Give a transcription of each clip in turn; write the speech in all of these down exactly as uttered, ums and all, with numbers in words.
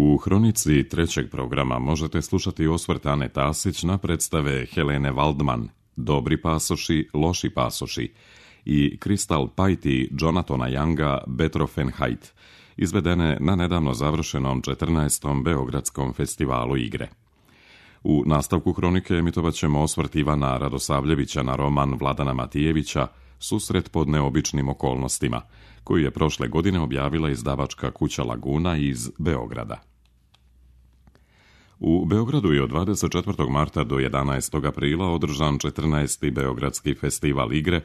U hronici trećeg programa možete slušati osvrt Ane Tasić na predstave Helene Waldman, Dobri pasoši, loši pasoši i Crystal Pite i Jonathana Younga Betroffenheit, izvedene na nedavno završenom četrnaestom Beogradskom festivalu igre. U nastavku hronike emitovat ćemo osvrt Ivana Radosavljevića na roman Vladana Matijevića Susret pod neobičnim okolnostima, koju je prošle godine objavila izdavačka kuća Laguna iz Beograda. U Beogradu je od dvadeset četvrtog marta do jedanaestog aprila održan četrnaesti Beogradski festival igre,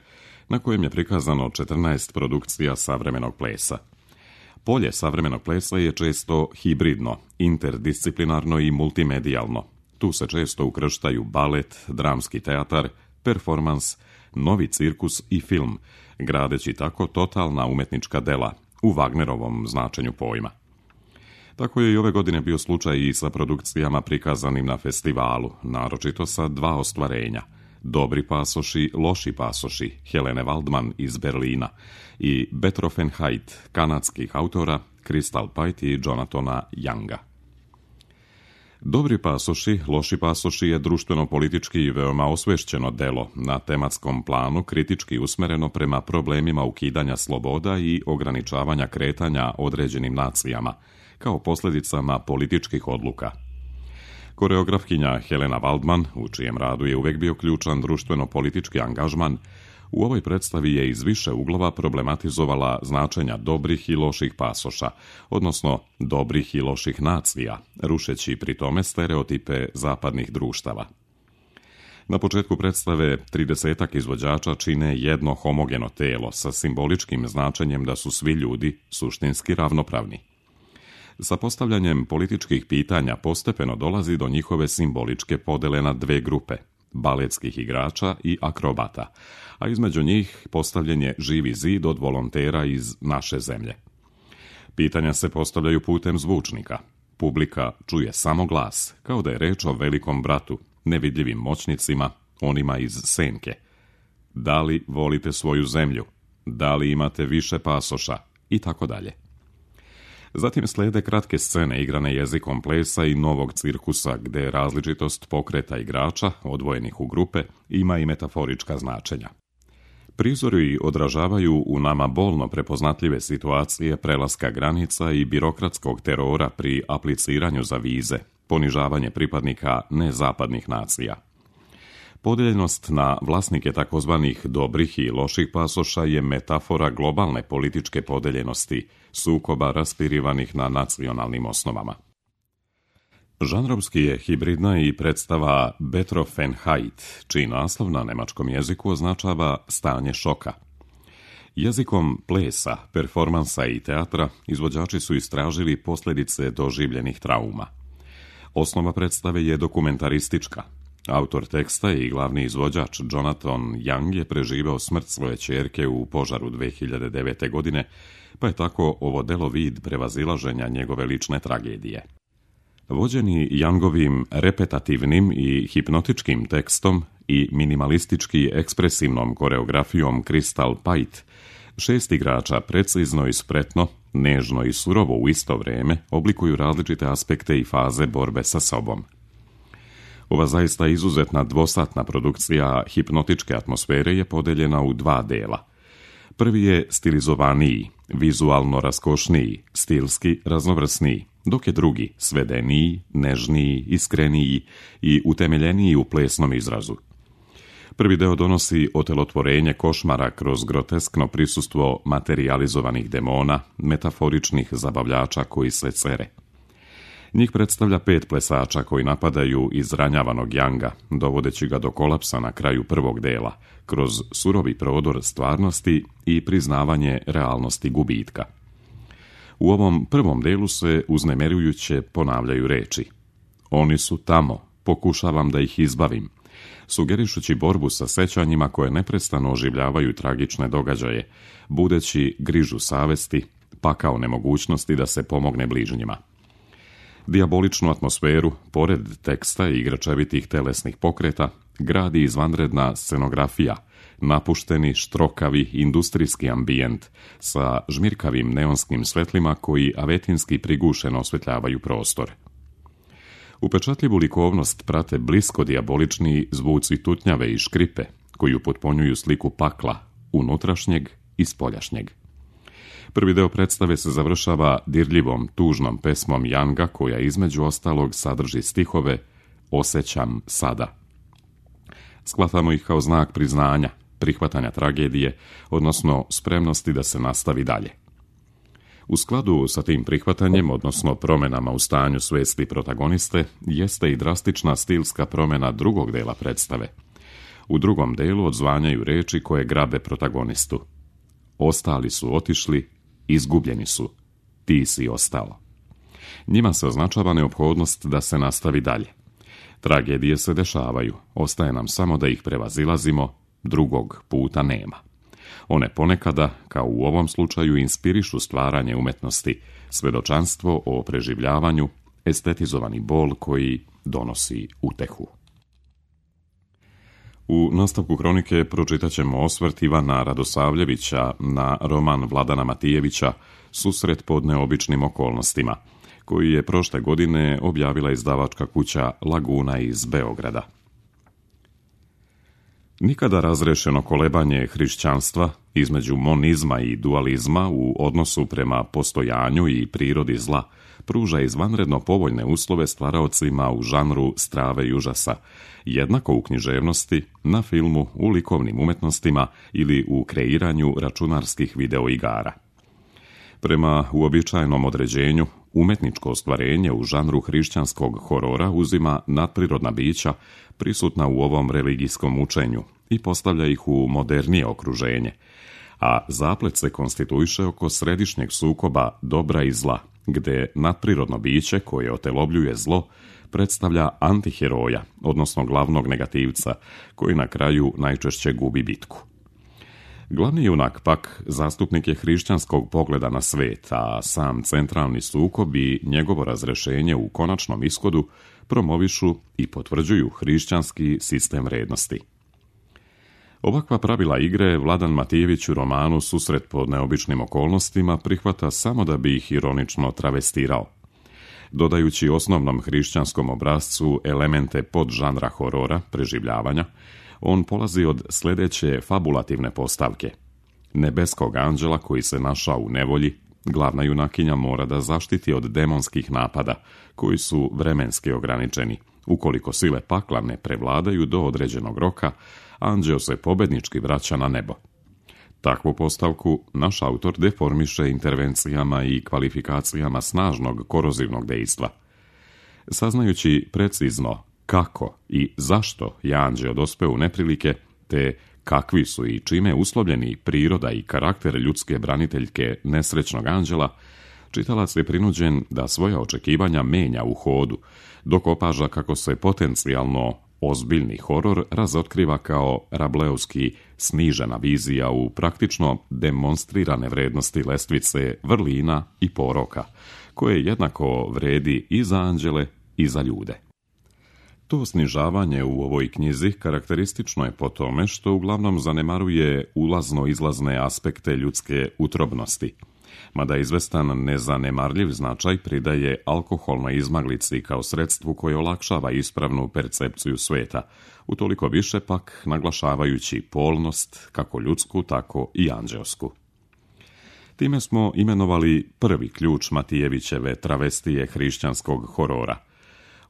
na kojem je prikazano četrnaest produkcija savremenog plesa. Polje savremenog plesa je često hibridno, interdisciplinarno i multimedijalno. Tu se često ukrštaju balet, dramski teatar, performans, novi cirkus i film, gradeći tako totalna umetnička dela, u Wagnerovom značenju pojma. Tako je i ove godine bio slučaj i sa produkcijama prikazanim na festivalu, naročito sa dva ostvarenja, Dobri pasoši, loši pasoši, Helene Waldman iz Berlina i Betroffenheit, kanadskih autora Crystal Pite i Jonathana Younga. Dobri pasoši, loši pasoši je društveno-politički i veoma osvešćeno delo, na tematskom planu kritički usmereno prema problemima ukidanja sloboda i ograničavanja kretanja određenim nacijama, kao posljedicama političkih odluka. Koreografkinja Helena Waldman, u čijem radu je uvek bio ključan društveno-politički angažman, u ovoj predstavi je iz više uglova problematizovala značenja dobrih i loših pasoša, odnosno dobrih i loših nacija, rušeći pri tome stereotipe zapadnih društava. Na početku predstave tridesetak izvođača čine jedno homogeno telo sa simboličkim značenjem da su svi ljudi suštinski ravnopravni. Sa postavljanjem političkih pitanja postepeno dolazi do njihove simboličke podele na dve grupe, baletskih igrača i akrobata, a između njih postavljen je živi zid od volontera iz naše zemlje. Pitanja se postavljaju putem zvučnika. Publika čuje samo glas, kao da je reč o velikom bratu, nevidljivim moćnicima, onima iz senke. Da li volite svoju zemlju? Da li imate više pasoša? I tako dalje. Zatim slede kratke scene igrane jezikom plesa i novog cirkusa, gde različitost pokreta igrača, odvojenih u grupe, ima i metaforička značenja. Prizori odražavaju u nama bolno prepoznatljive situacije prelaska granica i birokratskog terora pri apliciranju za vize, ponižavanje pripadnika nezapadnih nacija. Podeljenost na vlasnike takozvanih dobrih i loših pasoša je metafora globalne političke podeljenosti, sukoba raspirivanih na nacionalnim osnovama. Žanrovski je hibridna i predstava Betroffenheit, čiji naslov na nemačkom jeziku označava stanje šoka. Jezikom plesa, performansa i teatra izvođači su istražili posljedice doživljenih trauma. Osnova predstave je dokumentaristička. Autor teksta i glavni izvođač Jonathan Young je preživeo smrt svoje ćerke u požaru dve hiljade devete. godine, pa je tako ovo delo vid prevazilaženja njegove lične tragedije. Vođeni Youngovim repetativnim i hipnotičkim tekstom i minimalistički ekspresivnom koreografijom Crystal Pite, šest igrača precizno i spretno, nežno i surovo u isto vrijeme oblikuju različite aspekte i faze borbe sa sobom. Ova zaista izuzetna dvosatna produkcija hipnotičke atmosfere je podeljena u dva dela. Prvi je stilizovaniji, vizualno raskošniji, stilski raznovrsniji, dok je drugi svedeniji, nežniji, iskreniji i utemeljeniji u plesnom izrazu. Prvi deo donosi otelotvorenje košmara kroz groteskno prisustvo materijalizovanih demona, metaforičnih zabavljača koji se cere. Njih predstavlja pet plesača koji napadaju izranjavanog Younga, dovodeći ga do kolapsa na kraju prvog dela, kroz surovi prodor stvarnosti i priznavanje realnosti gubitka. U ovom prvom delu se uznemirujuće ponavljaju reči. Oni su tamo, pokušavam da ih izbavim, sugerišući borbu sa sećanjima koje neprestano oživljavaju tragične događaje, budeći grižu savesti, pakao nemogućnosti da se pomogne bližnjima. Dijaboličnu atmosferu, pored teksta i igračevitih telesnih pokreta, gradi izvanredna scenografija, napušteni štrokavi industrijski ambijent sa žmirkavim neonskim svetlima koji avetinski prigušeno osvetljavaju prostor. Upečatljivu likovnost prate blisko dijabolični zvuci tutnjave i škripe koji upotpunjuju sliku pakla, unutrašnjeg i spoljašnjeg. Prvi deo predstave se završava dirljivom, tužnom pesmom Janga koja između ostalog sadrži stihove Osjećam sada. Shvatamo ih kao znak priznanja, prihvatanja tragedije, odnosno spremnosti da se nastavi dalje. U skladu sa tim prihvatanjem, odnosno promjenama u stanju svesti protagoniste, jeste i drastična stilska promjena drugog dela predstave. U drugom delu odzvanjaju reči koje grabe protagonistu. Ostali su otišli, izgubljeni su, ti si ostao. Njima se označava neophodnost da se nastavi dalje. Tragedije se dešavaju, ostaje nam samo da ih prevazilazimo, drugog puta nema. One ponekada, kao u ovom slučaju, inspirišu stvaranje umetnosti, svedočanstvo o preživljavanju, estetizovani bol koji donosi utehu. U nastavku kronike pročitat ćemo osvrt Ivana Radosavljevića na roman Vladana Matijevića Susret pod neobičnim okolnostima, koji je prošle godine objavila izdavačka kuća Laguna iz Beograda. Nikada razrešeno kolebanje hrišćanstva između monizma i dualizma u odnosu prema postojanju i prirodi zla pruža izvanredno povoljne uslove stvaraocima u žanru strave i užasa, jednako u književnosti, na filmu, u likovnim umetnostima ili u kreiranju računarskih videoigara. Prema uobičajenom određenju, umetničko ostvarenje u žanru hrišćanskog horora uzima nadprirodna bića prisutna u ovom religijskom učenju i postavlja ih u modernije okruženje, a zaplet se konstituiše oko središnjeg sukoba dobra i zla, gde nadprirodno biće koje otelobljuje zlo predstavlja antiheroja, odnosno glavnog negativca, koji na kraju najčešće gubi bitku. Glavni junak pak zastupnik je hrišćanskog pogleda na svet, a sam centralni sukob i njegovo razrešenje u konačnom ishodu promovišu i potvrđuju hrišćanski sistem vrednosti. Ovakva pravila igre Vladan Matijević u romanu Susret pod neobičnim okolnostima prihvata samo da bi ih ironično travestirao. Dodajući osnovnom hrišćanskom obrascu elemente podžanra horora, preživljavanja, on polazi od sljedeće fabulativne postavke. Nebeskog anđela koji se našao u nevolji, glavna junakinja mora da zaštiti od demonskih napada, koji su vremenski ograničeni. Ukoliko sile pakla ne prevladaju do određenog roka, anđeo se pobednički vraća na nebo. Takvu postavku naš autor deformiše intervencijama i kvalifikacijama snažnog korozivnog dejstva. Saznajući precizno kako i zašto je anđeo dospeo u neprilike, te kakvi su i čime uslovljeni priroda i karakter ljudske braniteljke nesrećnog anđela, čitalac je prinuđen da svoja očekivanja menja u hodu, dok opaža kako se potencijalno ozbiljni horor razotkriva kao rableovski snižena vizija u praktično demonstrirane vrednosti lestvice vrlina i poroka, koje jednako vredi i za anđele i za ljude. To snižavanje u ovoj knjizi karakteristično je po tome što uglavnom zanemaruje ulazno-izlazne aspekte ljudske utrobnosti, mada izvestan nezanemarljiv značaj pridaje alkoholnoj izmaglici kao sredstvu koje olakšava ispravnu percepciju sveta, utoliko više pak naglašavajući polnost, kako ljudsku, tako i anđeosku. Time smo imenovali prvi ključ Matijevićeve travestije hrišćanskog horora.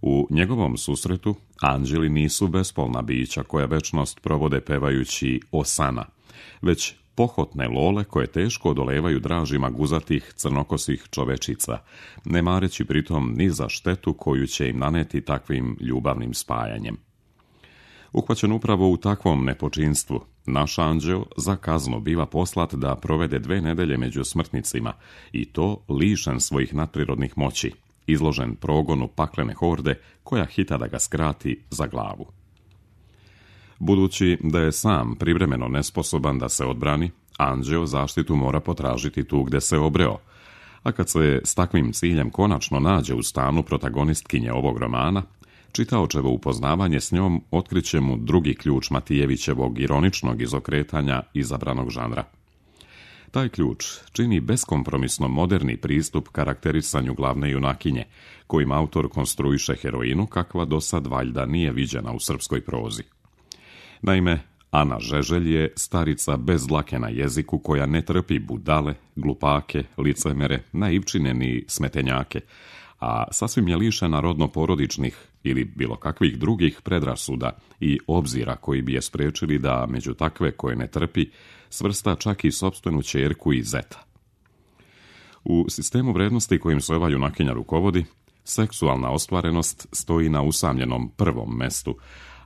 U njegovom susretu anđeli nisu bespolna bića koja večnost provode pevajući osana, već pohotne lole koje teško odolevaju dražima guzatih crnokosih čovečica, ne mareći pritom ni za štetu koju će im naneti takvim ljubavnim spajanjem. Uhvaćen upravo u takvom nepočinstvu, naš anđeo za kaznu biva poslat da provede dve nedelje među smrtnicima, i to lišen svojih nadprirodnih moći, izložen progonu paklene horde koja hita da ga skrati za glavu. Budući da je sam privremeno nesposoban da se odbrani, anđeo zaštitu mora potražiti tu gde se obreo, a kad se s takvim ciljem konačno nađe u stanu protagonistkinje ovog romana, Čitaočevo upoznavanje s njom otkriće mu drugi ključ Matijevićevog ironičnog izokretanja izabranog žanra. Taj ključ čini beskompromisno moderni pristup karakterisanju glavne junakinje, kojim autor konstruiše heroinu kakva do sad valjda nije viđena u srpskoj prozi. Naime, Ana Žeželj je starica bez dlake na jeziku koja ne trpi budale, glupake, licemere, naivčine ni smetenjake, a sasvim je lišena rodno-porodičnih ili bilo kakvih drugih predrasuda i obzira koji bi je spriječili da među takve koje ne trpi svrsta čak i sopstvenu ćerku i zeta. U sistemu vrednosti kojim se ova junakinja rukovodi, seksualna ostvarenost stoji na usamljenom prvom mestu,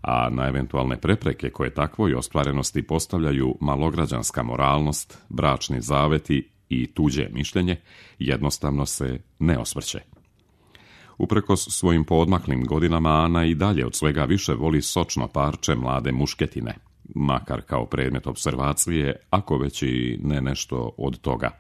a na eventualne prepreke koje takvoj ostvarenosti postavljaju malograđanska moralnost, bračni zaveti i tuđe mišljenje, jednostavno se ne osvrće. Uprkos svojim poodmaklim godinama, Ana i dalje od svega više voli sočno parče mlade mušketine, makar kao predmet observacije, ako već i ne nešto od toga,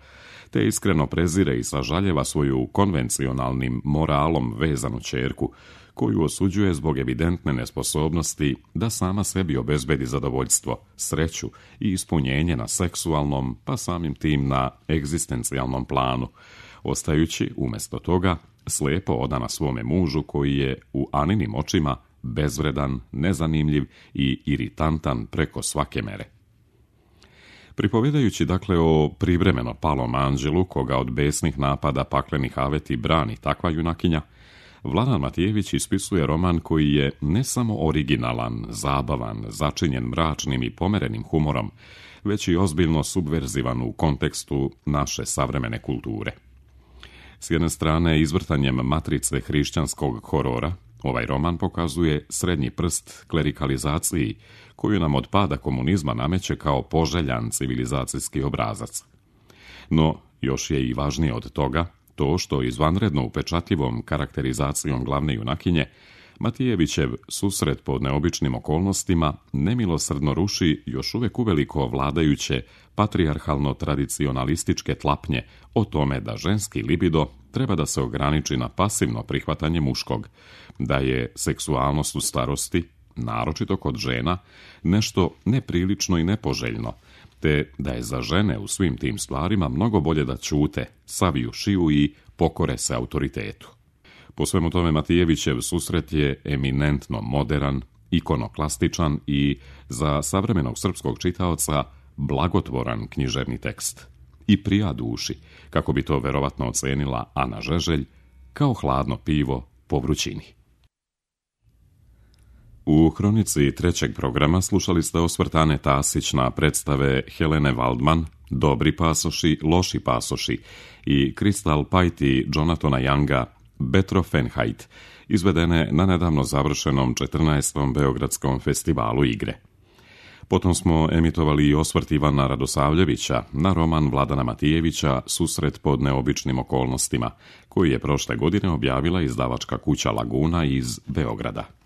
te iskreno prezire i sažaljeva svoju konvencionalnim moralom vezanu ćerku, koju osuđuje zbog evidentne nesposobnosti da sama sebi obezbedi zadovoljstvo, sreću i ispunjenje na seksualnom, pa samim tim na egzistencijalnom planu, ostajući umjesto toga slijepo odana svome mužu koji je u Aninim očima bezvredan, nezanimljiv i iritantan preko svake mere. Pripovjedajući dakle o privremeno palom anđelu koga od besnih napada paklenih aveti brani takva junakinja, Vladan Matijević ispisuje roman koji je ne samo originalan, zabavan, začinjen mračnim i pomerenim humorom, već i ozbiljno subverzivan u kontekstu naše savremene kulture. S jedne strane, izvrtanjem matrice hrišćanskog horora, ovaj roman pokazuje srednji prst klerikalizaciji koju nam od pada komunizma nameće kao poželjan civilizacijski obrazac. No, još je i važnije od toga to što izvanredno upečatljivom karakterizacijom glavne junakinje Matijevićev susret pod neobičnim okolnostima nemilosrdno ruši još uvijek uveliko vladajuće patrijarhalno-tradicionalističke tlapnje o tome da ženski libido treba da se ograniči na pasivno prihvatanje muškog, da je seksualnost u starosti, naročito kod žena, nešto neprilično i nepoželjno, te da je za žene u svim tim stvarima mnogo bolje da ćute, saviju šiju i pokore se autoritetu. Po svemu tome Matijevićev susret je eminentno moderan, ikonoklastičan i za savremenog srpskog čitaoca blagotvoran književni tekst. I prija duši, kako bi to verovatno ocenila Ana Žeželj, kao hladno pivo po vrućini. U hronici trećeg programa slušali ste osvrtane Tasić na predstave Helene Waldman, Dobri pasoši, loši pasoši i Kristal Pajti Jonathana Younga, Betrofenheit, izvedene na nedavno završenom četrnaestom Beogradskom festivalu igre. Potom smo emitovali i osvrt Ivana Radosavljevića na roman Vladana Matijevića Susret pod neobičnim okolnostima, koji je prošle godine objavila izdavačka kuća Laguna iz Beograda.